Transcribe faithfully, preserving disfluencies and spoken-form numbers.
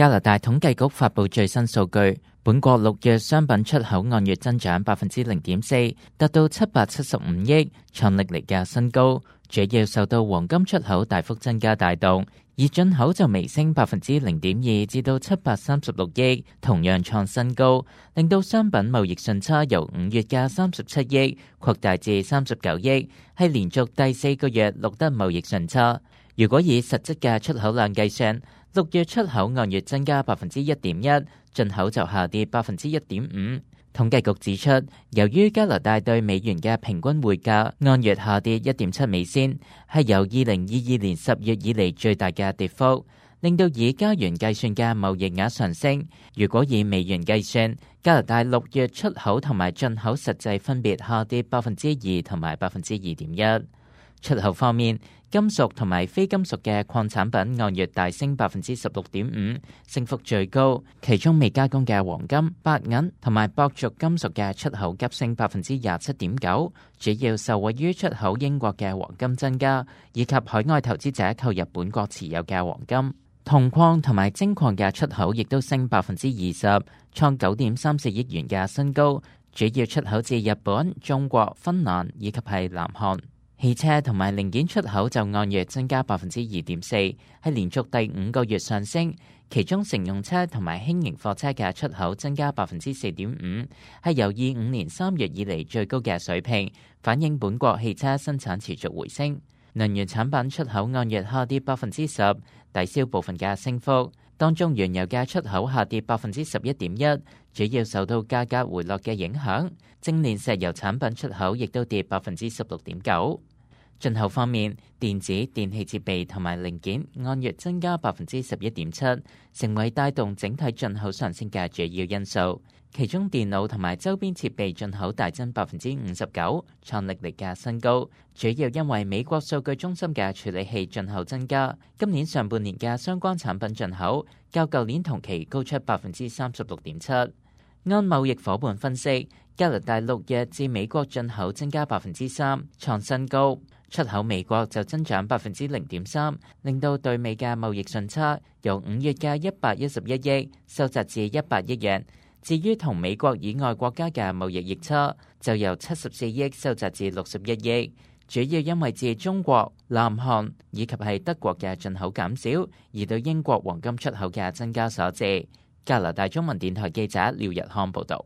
加拿大統計局發布最新數據，本國六月商品出口按月增長百分之零點四，達到七百七十五億，創歷嚟嘅新高。主要受到黃金出口大幅增加帶動，而進口就微升百分之零點二，至到七百三十六億，同樣創新高，令到商品貿易順差由五月嘅三十七億擴大至三十九億，係連續第四個月錄得貿易順差。如果以實質嘅出口量計算，六月出口按月增加百分之一點一，進口就下跌百分之一點五。統計局指出，由於加拿大對美元嘅平均匯價按月下跌一點七美仙，係由二零二二年十月以嚟最大嘅跌幅，令到以加元計算嘅貿易額上升。如果以美元計算，加拿大六月出口同埋進口實際分別下跌百分之二同埋百分之二點一。出口方面，金屬同埋非金屬嘅礦產品按月大升百分之十六點五，升幅最高。其中未加工嘅黃金、白銀同埋鉑族金屬嘅出口急升百分之廿七點九，主要受惠於出口英國嘅黃金增加，以及海外投資者購入本國持有嘅黃金。銅礦同埋精礦嘅出口亦都升百分之二十，創九點三四億元嘅新高，主要出口至日本、中國、芬蘭以及係南韓。汽車同埋零件出口就按月增加百分之二點四，係連續第五個月上升。其中乘用車同埋輕型貨車嘅出口增加百分之四點五，係由二五年三月以嚟最高嘅水平，反映本國汽車生產持續回升。能源產品出口按月下跌百分之十，抵消部分嘅升幅。當中原油嘅出口下跌百分之十一點一，主要受到價格回落嘅影響。精煉石油產品出口亦都跌百分之十六點九。進口方面，電子、電氣設備同埋零件按月增加百分之十一點七，成為帶動整體進口上升嘅主要因素。其中電腦同埋周邊設備進口大增百分之五十九，創歷嚟嘅新高。主要因為美國數據中心嘅處理器進口增加，今年上半年嘅相關產品進口較舊年同期高出百分之三十六點七。按貿易夥伴分析，加拿大六月至美國進口增加百分之三，創新高。出口美國就增長百分之零點三，令到對美嘅貿易順差由五月嘅一百一十一億收窄至一百億元。至於同美國以外國家嘅貿易逆差，就由七十四億收窄至六十一億，主要因為自中國、南韓以及係德國嘅進口減少，而對英國黃金出口嘅增加所致。加拿大中文電台記者廖日康報導。